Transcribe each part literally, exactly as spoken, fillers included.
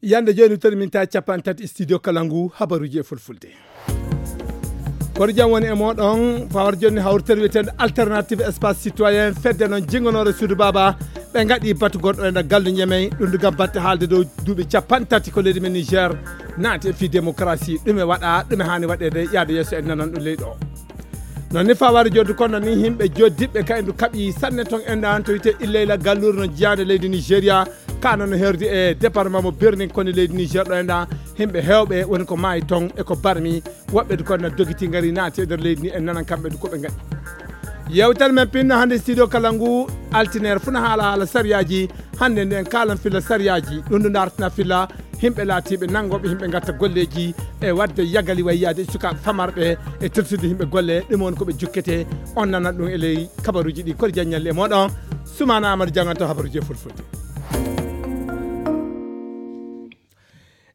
Yande jooni, toni min ta capanɗe tati studio kala ngu habaruuji e fulfulde. Kono jam woni e mooɗon, fawar jonni hawritere wiyeteende Alternative Espace Citoyen, fedde noon jingonoore suudu baaba, ɓe ngaɗi batu gonɗo e nder gallu Ñemey, ɗum ɗo gam batte haalde dow duuɓi capanɗe tati ko leydi men Niger naati e fii démocratie, ɗume waɗa, ɗume haani waɗeede, yaade yeeso en nanan ɗum leydi o. Noon ni fawar joddu kono ni himɓe joddiɓe ka endu kaɓi sanne toon endan to wiyetee Illeyla galluure no jiyaade leydi Nigeria, ka noon no herdi e département mo Birnin Koni leydi Niger ɗo endan, himɓe heewɓe woni ko maayi toon e ko barmi, woɓɓe du kono na dogiti ngari naati e nder leydi ni en nanan kamɓe du ko ɓe ngaɗi. Yewtere men pinno hannde studio kala ngu altineer funa haala haala sariyaaji, hannde nde en kaalan filla sariyaaji, ɗum ndu dartina filla himɓe laatiiɓe nanngooɓe himɓe ngatta golleeji e waɗde yagali wayyaade sukaaɓe famarɓe e tottude himɓe golle, ɗum woni ko ɓe jukkete, on nanat ɗum e ley kabaruuji ɗi kori janñalli e mooɗon, Sumaana Amadou jannganto habaruuji e fulfulde.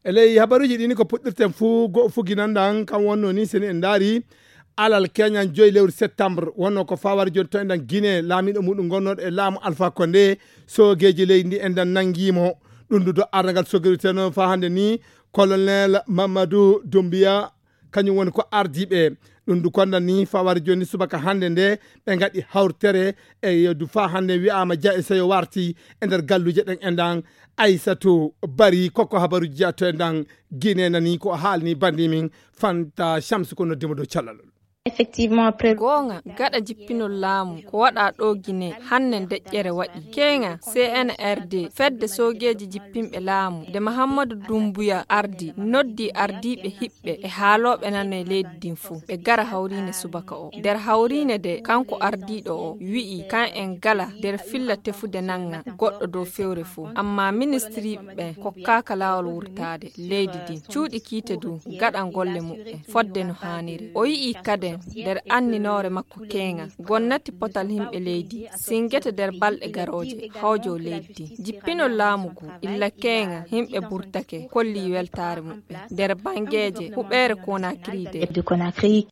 E ley habaruuji ɗi ni ko puɗɗirten fuu, go fuginan ɗan kan wonno ni seni en ndaari alal keñan joyi lewru septembre wonno ko fawar joni to enɗan Guinée laamiɗo muɗum gonnooɗo e laamu Alpha Condé, soogeeji leydi ndi enɗan nanngii mo. Ɗum du do ardagal sogirteno faa hannde ni colonel Mamadou Doumbouya, kañum woni ko ardiiɓe. Ɗum du kondan ni fawar joni subaka hannde nde ɓe ngaɗi hawritere e yeddu faa hannde wi'aama ja e seyo warti e nder galluuje ɗen enɗan. Aysatu Bari kokko habaruuji jeyato enɗan Guinée nani ko haalni bandi min Fanta Shamsu ko noddimo dow callalol. Effectivement, après goonga, gaɗa jippinol laamu ko waɗa ɗo Guinée hannde deƴƴere waɗi. Keeŋa C N R D, fedde soogeeji jippinɓe laamu, nde Mahammadu Dumbuya ardi, noddi ardiiɓe hiɓɓe e haalooɓe nano e leydi ndin fof. Ɓe gara hawriine subaka o. Nder hawriine de, kanko ardiiɗo o wi'i kan en gala nder filla tefude nanga goɗɗo dow fewre fof. Amma ministiriiɓe ɓen kokkaaka laawol wurtaade leydi ndin. Cuuɗi kiite du gaɗan golle muɓɓen fodde no haaniri. O yi'i kaden nder anninoore makko keeŋa, gonnati potal himɓe leydi singete nder balɗe garooje hawjo leydi ndin. Jippinol laamu ngu illa keeŋa himɓe burtake kolli weltaare muɓɓen nder bangeeje huɓeere Conakry de.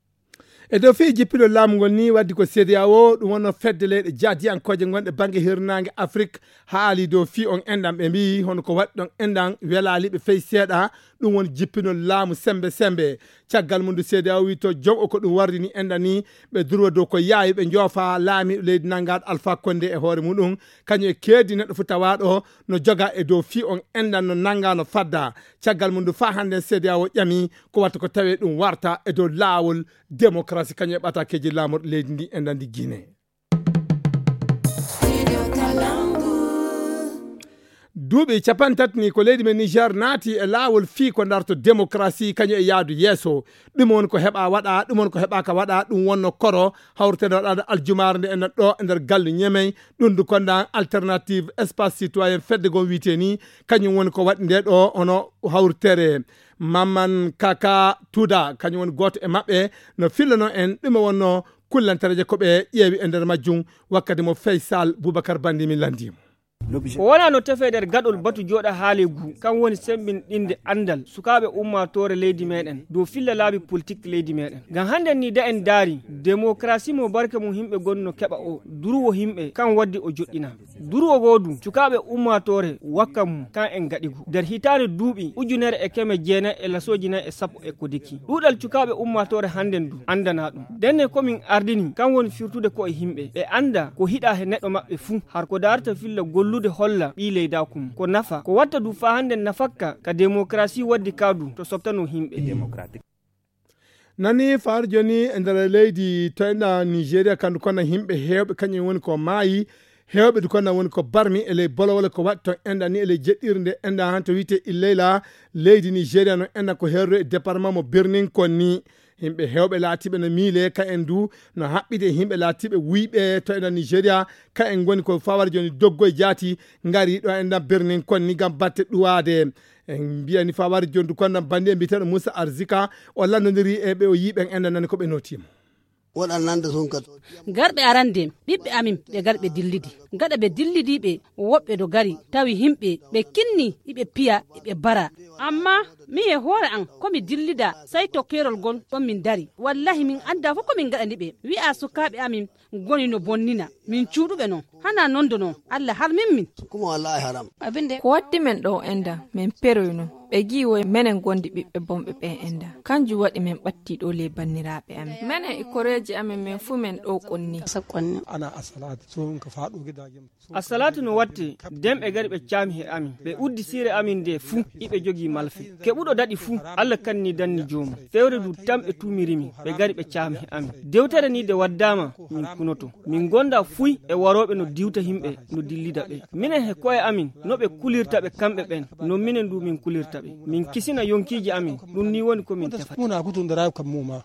E dow fii jippinol laamu ngol ni waddi ko C E D E A O, ɗum wonno fedde leyɗe jaadiyankooje gonɗe bannge hirnaange Afrik, haali dow fii on enɗan. Ɓe mbiyi hono ko waɗi ɗon enɗan welaali ɓe fey seeɗa, ɗum woni jippinol laamu sembe sembe. Caggal mum ndu C E D E A O wi to jom o ko ɗum wardini enɗan ni, ɓe durwa dow ko yaawi ɓe njoofa laamiiɗo leydi nanngaɗo Alpha Condé e hoore muɗum, kañum e keedi neɗɗo fof tawaaɗo no joga e dow fii on enɗan no nannga no fadda. Caggal mum ndu faa hannden C E D E A O ƴami ko watta ko tawee ɗum warta e dow laawol démocratie kañum e ɓatakeeji laamorɗi leydi ndi e nandi Guinée. Duuɓi capanɗe tati ni ko leydi men Niger naati e laawol fii ko darto démocratie kañum e yaadu yeeso. Ɗum woni ko heɓa waɗa, ɗum woni ko heɓaaka waɗa, ɗum wonno koro hawriteende waɗaade aljumaare nde enen ɗo e nder galle Ñemey. Ɗum du konda Alternative Espace Citoyen fedde gom wiite ni, kañum woni ko waɗi nde ɗo hono hawritere. Mamman Kaka Tuda, kañum woni gooto e maɓɓe, no fillano en ɗume wonno kullantareeje ko ɓe ƴeewi e nder majjum, wakkati mo Faysal Boubacar Bandi min lanndii mo. Ko wona no tefee nder gaɗol batu jooɗa haale ngu, kan woni semmbinɗinde anndal sukaaɓe ummaatoore leydi meɗen dow filla laabi politik leydi meɗen. Ngam hannden ni da en daari, demokarasi mo barke mum himɓe gonno keɓa o, durwo himɓe, kan waddi o joɗɗina. Durwo goo du, cukaaɓe ummaatoore wakka mum, kan en gaɗi ngu. Nder hitaande duuɓi ujunere e keme jeenayi e lasooji nayi e sappo e ko deki. Ɗuuɗal cukaaɓe ummaatoore hannden du, anndanaa ɗum. Ndenne ko min ardini, kan woni firtude ko'e himɓe. Ɓe annda ko hiɗaa he neɗɗo maɓɓe fuu, har ko daarta filla gollude holla ɓii leydaaku mum. Ko nafa, ko watta du faa hannden nafakka ka demokarasi waddi kaa du to soktanoo himɓe. Nani faar joni e nder leydi to enɗa Nigeria, kandu kono himɓe heewɓe kañum woni ko maayi, heewɓe du kono woni ko barmi e ley bolowole ko waɗi to enɗa ni e ley jeɗɗirde enɗa han to wiite Illeyla, leydi Nigeria no enɗa ko herro e département mo Birnin Konni. Himɓe heewɓe laatiiɓe no miile ka en du no haɓɓide e himɓe laatiiɓe wuyɓe to enɗa Nigeria, ka en ngoni ko fawar joni doggo e jaati ngari ɗo enɗa Birnin Konni ngam batte ɗuwaade. En mbiyani fawar jondu kondan bandi e mbiteɗo Moussa Arzika, o lanndodiri e ɓe o yii ɓen enɗa nani ko ɓe notiima. Waɗannande sun ka to. Garɓe arande, ɓiɓɓe amin, ɓe gari ɓe dillidi. Gaɗa ɓe dillidi ɓe, woɓɓe do gari, tawi himɓe, ɓe kinni, iɓe piya, iɓe bara. Amma, mi e hoore an, ko mi dillida, sai to kerol gol, ɗon min dari. Wallahi, min anda fof ko min gaɗani ɓe. Wi'a sukaaɓe amin, goni no bonnina. Min cuuɗuɓe non. Hana non do non. Allah harmin min. Kuma wallahi haram. Abin da ko waddi men ɗo enda, men peroyno. Ɓe gi'i woy menen gondi ɓiɓɓe bonɓe ɓe enda. Kanjum waɗi men ɓatti ɗo le banniraaɓe amen. Menen e koreeji amen men fuu men ɗo qonni. Ana asalaati, so on ka faɗo gidajen. Asalaatu no watte, den ɓe gari ɓe caami he amin. Ɓe uddi siire amin nde fuu, iɓe jogii malfe. Keɓuɗo daɗi fuu, Allah kanni danni joomum. Fewre du tan ɓe tuumiri min, ɓe gari ɓe caami he amin. Dewtere ni de waddaama, min kunoto. Min gonda fuy e warooɓe no diwta himɓe, no dillida ɓe. Minen he ko'e amin, no ɓe kulirta ɓe kamɓe ɓen, non minen du min kulirta ɓe. Min kisina yonkiiji amin, ɗum ni woni ko min tefata. Muna kutundira kam muma.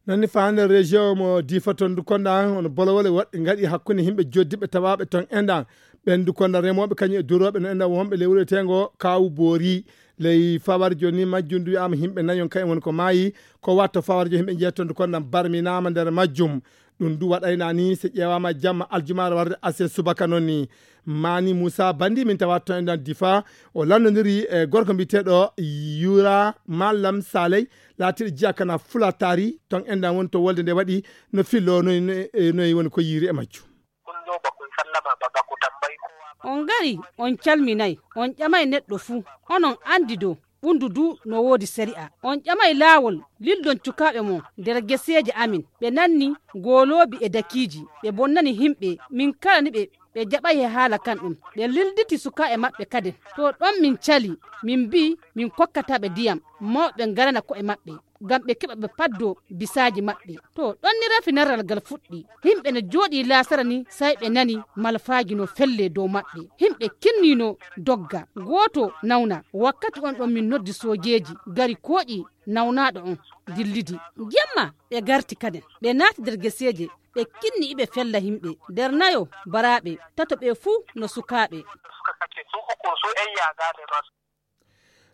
Nani faande région mo Difa ton du konda on bolowole waɗɗi ngaɗi hakkunde himɓe joddiɓe tawaɓe ton endan. Ɓen du konda remooɓe kañum e durooɓe no endan wonɓe ley wuro etengo Kawu Boori. Ley fawar joni majjum du wi'ama himɓe nayon kayen woni ko maayi. Ko watto fawar joni himɓe jeeton du konda barminama nder majjum. Ɗum du waɗayna ni so ƴeewama jamma aljumaare warde asen subaka noon ni. Mani Moussa Bandi min tawa ton endan Difa, o landodiri e gorko mbiyeteɗo Yura Mallam Saley, laatiɗo jiya kana Fulatari, ton endan woni to wolde nde waɗi, no fillo noy, noy, noy woni ko yiiri e majjum. On ngari, on calminay, on ƴamay neɗɗo fuu, onon andi do ɓundu du no woodi sari'a. On ƴamay laawol, lildon cukaaɓe mon nder geseeje amin. Ɓe nanni gooloobi e dakiiji, ɓe bonnani himɓe, min kala ni ɓe, ɓe jaɓay he haala kan ɗum. Ɓe lilditi sukaaɓe maɓɓe kaden. To ɗon min cali, min mbii min kokkataa ɓe diyam, mawɓe ngarana ko'e maɓɓe, ngam ɓe keɓa ɓe paddoo bisaaji maɓɓe. To ɗon ni rafi narral gal fuɗɗi. Himɓe no jooɗii laasara ni, say ɓe nani malfaaji no fellee dow maɓɓe. Himɓe kinnii no dogga. Gooto nawna. Wakkati on ɗon min noddi soojeeji, gari kooƴi nawnaaɗo on, dillidi. Jemma ɓe garti kaden. Ɓe naati nder geseeje, ɓe kinni iɓe fella himɓe. Nder nayo, baraaɓe, tato ɓe fuu no sukaaɓe.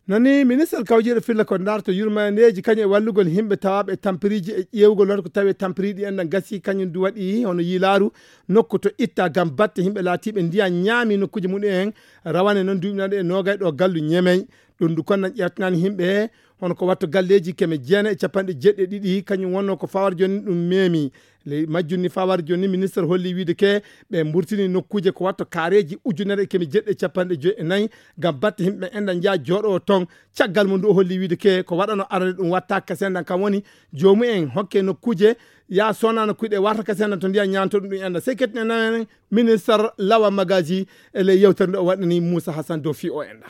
Nani minister kawjiiɗo filla ko darto yurmaneeji kañum e wallugol himɓe tawaaɓe e tampiriiji e ƴeewgol wonata ko tawi e tampiriiɗi en ɗan gasi kañum du waɗi hono yiilaaru nokku to itta ngam batte himɓe laatiiɓe ndiyan ñaami nokkuuje mumen en, rawane noon duuɓi naɗe e noogay ɗo gallu ñemey. Ɗum du konnan ƴeewtanani himɓe hono ko watto galleeji keme jeenay e capanɗe jeeɗiɗi e ɗiɗi kañum wonno ko fawar joni ɗum meemi. Ley majjum ni fawar joni minister holli wiide ke ɓe mburtini nokkuuje ko watto kaareeji ujunere e keme jeeɗiɗi e capanɗe joyi e nayi ngam batte himɓe enɗan njaha jooɗowo ton. Caggal mum du o holli wiide ke ko waɗano arande ɗum watta kasendan kam woni joomu en hokke nokkuuje ya sona nokkuuje ɗe warta kasendan to ndiyan ñaanto ɗum ɗum enɗan sey kettine nanen minister Lawa Magaji e ley yewtere nde o waɗani Moussa Hassan dow fi o enɗan.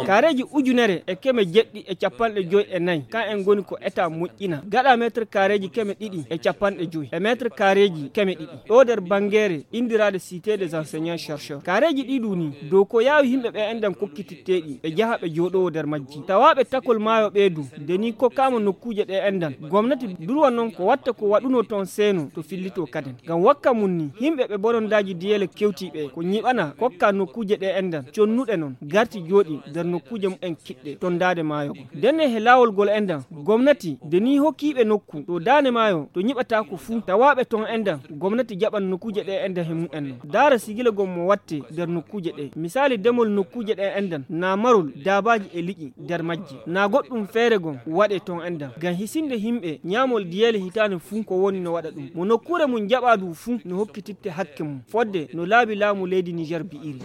Kaareeji ujunere e keme jeɗɗi e capanɗe joy e nayi kan en ngoni ko eta moƴƴina gaɗa meetre kaareeji keme ɗiɗi e capanɗe joy e meetre kaareeji keme ɗiɗi ɗo nder banngeere inndiraaɗe cité des enseignants chercheurs. Kaareeji ɗi ɗu ni dow ko yaawi himɓe ɓe enɗan kokkititteeɗi ɓe njaha ɓe jooɗowo nder majji tawaaɓe takol maayo ɓe du nde ni kokkaama nokkuuje ɗe enɗan. Gomnati durwa noon ko watta ko waɗuno toon seeno to fillito kaden ngam wakka mum ni yimɓe ɓe bonondaaji diyeele kewtii ɓe ko ñiɓana kokka nokkuuje ɗe enɗan connuɗe noon garti jooɗi nder nokkuuje mumen kiɗɗe ton daande maayo gom ndenne he laawol ngol enɗan gomnati nde ni hokkiiɓe nokku to daande maayo to ñiɓataako fuu tawaaɓe ton enɗan gomnati jaɓan nokkuuje ɗe enɗan he mumen noon daara sigila gom mo watte nder nokkuuje ɗe misaali demol nokkuuje ɗe enɗan na marol daabaaji e liƴi nder majje na goɗɗum feere gom waɗe ton enɗan ngam hisinde yimɓe ñaamol diyeele hitaande fuu ko woni no waɗa ɗum mo nokkuure mum jaɓa du fuu no hokkititte hakke mum fodde no laabi laamu leydi niger bi'iri.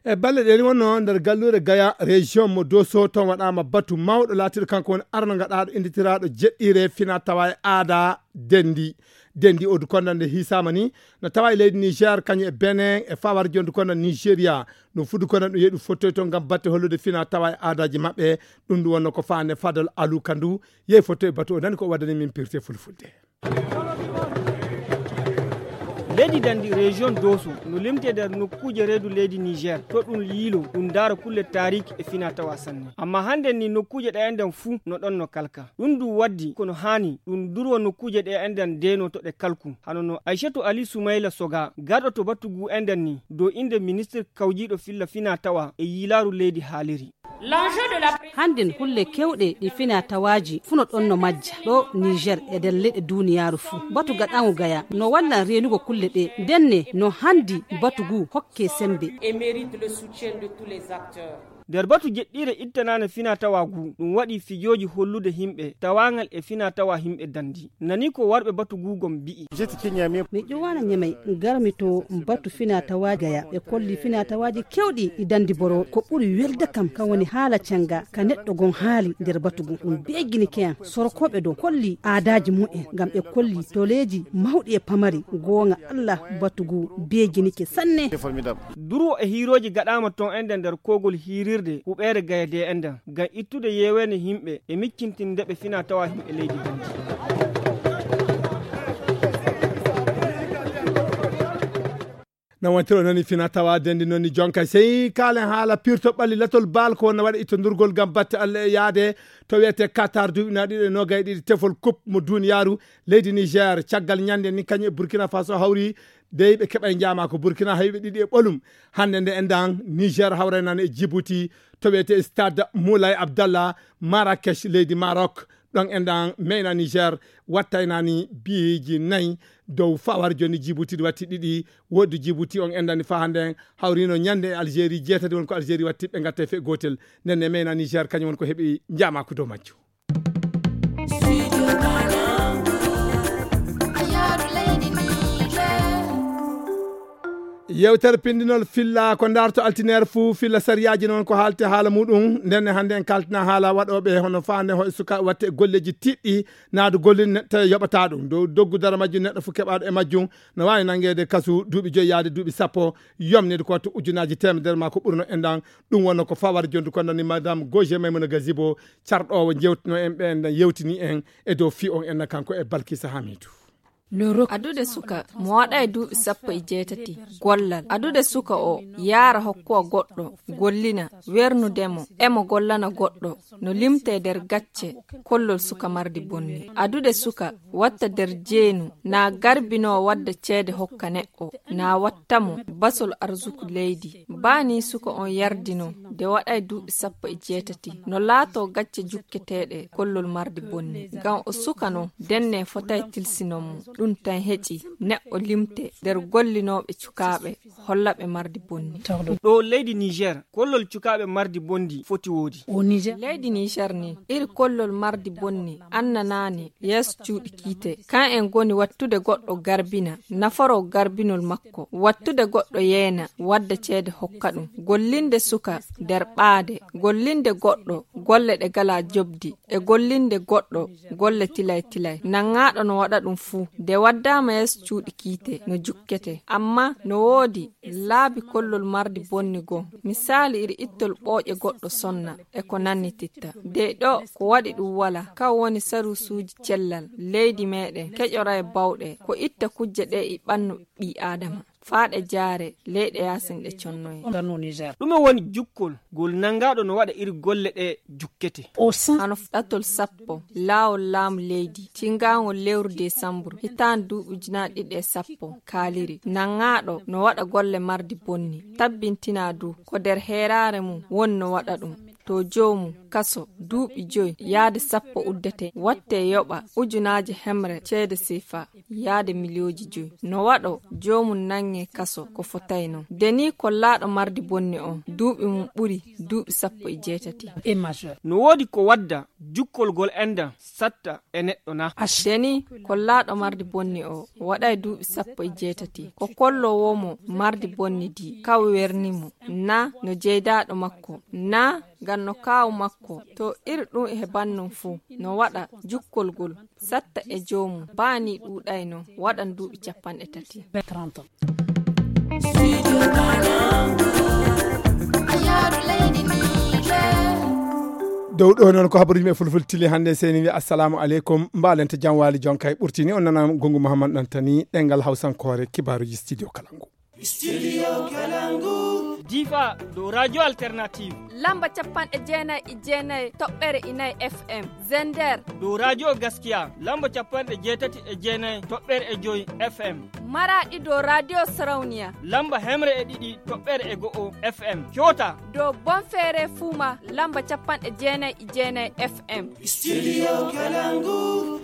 E balle ɗen wonno nder galluure gaya région mo doso ton waɗama batu mawɗo laatiɗo kanko woni arno gaɗaɗo inditiraaɗo jeɗɗire fina tawa e aada dendi. Dendi o du konda nde hisama ni no tawa e leydi niger kañum e benin e fawar jondu konda nigeria. Ɗum fu du konda ɗum yeɗu fottoy toon ngam batte hollude fina tawa e aadaji maɓɓe. Ɗum ɗum wonno ko faande fadol alu kandu yehi fottoy batu o nani ko waddani min pirte fulfulde. Leydi dandi région doso no limte nder nokkuuje reedu leydi niger to ɗum yiilo ɗum ndaara kulle taariki e fina tawa sanne amma hannden ni nokkuuje ɗe enɗan fuu no ɗon no kalka. Ɗum du waddi kono haani ɗum durwa nokkuuje ɗe enɗan deno to ɗe kalku hano no aishatu ali sumayla soga garɗo to battu gu enɗan ni dow innde ministir kawjiiɗo filla fina tawa e yiilaaru leydi haaliri. Hannden kulle keewɗe ɗi fina tawaaji fuu no ɗon no majja ɗo Niger e nder leyɗe duuniyaaru fuu. Batu gaɗaaŋo Gaya no wallan reenugo kulle ɗe, ndenne no hanndi batu ngu hokke semmbe. Nder batu jeɗɗiire ittanaane fina tawa ngu, ɗum waɗi fijooji hollude himɓe tawaaŋal e fina tawa himɓe dandi. Nani ko warɓe batu ngu gom mbi'i. Mi ƴowana Ñamey, garmi to batu fina tawa Gaya. Ɓe kolli fina tawaaji keewɗi ɗi dandi boro. Ko ɓuri welde kam kan woni haala canga ka neɗɗo gon haali nder batu ngu. Ɗum beeginike am. Sorokooɓe ɗo kolli aadaaji mu'en ngam ɓe kolli toleeji mawɗi e pamari. Gooŋa Allah, batu ngu beeginike sanne. Durwo e hiirooji gaɗaama ton enden nder koogol hiirirde huɓeere Gaya de enden ngam ittude yeeweende himɓe e miccintinde ɓe fina tawa himɓe leydi Gambia. No wontiro noni fina tawa dendi noni jonka sey kaalen haala pirto ɓalli latol baal ko wonno waɗa ittodurgol ngam batte Allah e yaade to wiyete Qatar duuɓi na ɗiɗo e nogay ɗiɗi tefol coupe mo duniyaaru. Leydi Niger caggal ñande ni kañum e Burkina Faso hawri dey ɓe keɓay njaama ko Burkina hayɓe ɗiɗi e ɓolum. Hannde nde endan Niger hawraynano e Djibouti to wiyete stade Moulay Abdallah, Marrakech leydi Maroc. Ɗon endan meyna Niger wattaynani biiji nayi dow fawar joni Djibouti ɗi watti ɗiɗi. Woɗɗi Djibouti on endani fa hannde hawrino ñande e Algérie jeetati won ko Algérie watti ɓe ngatta fe gootel. Nden ne meyna Niger kañum won ko heɓi njaamaku dow majjo. Yewtere pindinol filla ko darto altineer fuu filla sariyaaji noon ko haalte haala muɗum. Ndenne hannde en kaltina haala waɗooɓe hono faande ho e suka watte golleeji tiɗɗi naadu gollin neɗɗo yoɓata ɗum dow doggu dara majjum neɗɗo fuu keɓaaɗo e majjum no waawi nanngeede kasu duuɓi joyi yaade duuɓi sappo. Yomnide ko wattu ujunaaji teemedere maa ko ɓurno enɗan. Ɗum wonno ko fawar jondu ko nani madame Goje Maymuna Gazibo carɗoowo jewtino en ɓe enɗan yewtini en e dow fi on enɗan kanko e Balkisa Hamidu. Adude suka mo waɗa e duuɓi sappo e jeetati gollal adude suka o yaara hokkuwa goɗɗo gollina wernudemo emo gollana goɗɗo no limte nder gacce. Kollol suka mardi bonni adude suka watta nder jeenu na garbino wadda ceede hokka neɗɗo na wattamo basol arzuku leydi. Baa ni suka on yardino nde waɗay duuɓi sappo e jeetati no laato gacce jukketeeɗe kollol mardi bonni ngam o suka no denne fotay tilsinon mo. Ɗum tan heƴi neɗɗo limte nder gollinooɓe cukaaɓe hollaɓe mardi bonni. Ɗo leydi Niger kollol cukaaɓe mardi bondi foti woodi. Leydi Niger ni iri kollol mardi bonni annanaani yeeso cuuɗi kiite. Kan en ngoni wattude goɗɗo garbina nafaro garbinol makko wattude goɗɗo yeena wadda ceede hokka ɗum. Gollinde suka nder ɓaade gollinde goɗɗo golle ɗe gala jobdi e gollinde goɗɗo golle tilay tilay nanŋaaɗo no waɗa ɗum fuu nde waddaama yeeso cuuɗi kiite no jukkete amma no woodi laabi kollol mardi bonni goo. Misaali iri ittol ɓooƴe goɗɗo sonna e ko nannititta dey ɗo ko waɗi ɗum wala kan woni sarusuuji cellal leydi meeɗen keƴora e bawɗe ko itta kujje ɗe e ɓannu ɓii aadama faa ɗe jaare leyɗe yaasin ɗe connoye. Ɗume woni jukkol ngol nanngaaɗo no waɗa iri golle ɗe jukkete? Hano ɗatol sappo laawol laamu leydi cingaangol lewru desambur hitaande duuɓi ujunaaji ɗiɗi e sappo kaaliri nanngaaɗo no waɗa golle mardi bonni tabbintinaa du ko nder heeraare mum woni no waɗa ɗum. To joomum kaso duuɓi joy yaade sappo uddete watte yoɓa ujunaaji hemre ceede sefa yaade miliyooji joy no waɗo joomum nanŋe kaso ko fotayno. Deni kollaaɗo mardi bonni on duuɓi mum ɓuri duuɓi sappo e jeetati. No woodi ko wadda jukkol ngol enɗan satta e neɗɗo na? Deni kollaaɗo mardi bonni o waɗay duuɓi sappo e jeetati ko kollowoo mo mardi bonni di kaw werni mo na no jeydaaɗo makko na ngam no kaawu makko to iri ɗum he bannun fuu no waɗa jukkol ngol satta e joomum baa nii ɗuuɗayno waɗan duuɓi cappanɗe tati. Dow ɗo noon ko habaruji men fulfulde tili hannde seni wi assalamu aleykum mbaalente jam waali jonkay ɓurtini on nana gongu mouhammad ɗantani ɗengal hawsankoore kibaaruji studio kalangu. Studio Kalangu. Difa, dow Radio Alternative. Lamba capanɗe jeenayi e jeenayi toɓɓere inayi F M. Zender. Dow Radio Gaskiya, lamba capanɗe jeetati e jeenayi toɓɓere e joyi F M. Maraɗi, dow Radio Sarauniya. Lamba hemre e ɗiɗi toɓɓere e go'o F M. Kyota. Dow Bonfere Fuma, lamba capanɗe jeenayi e jeenayi F M. Studio Kalangu.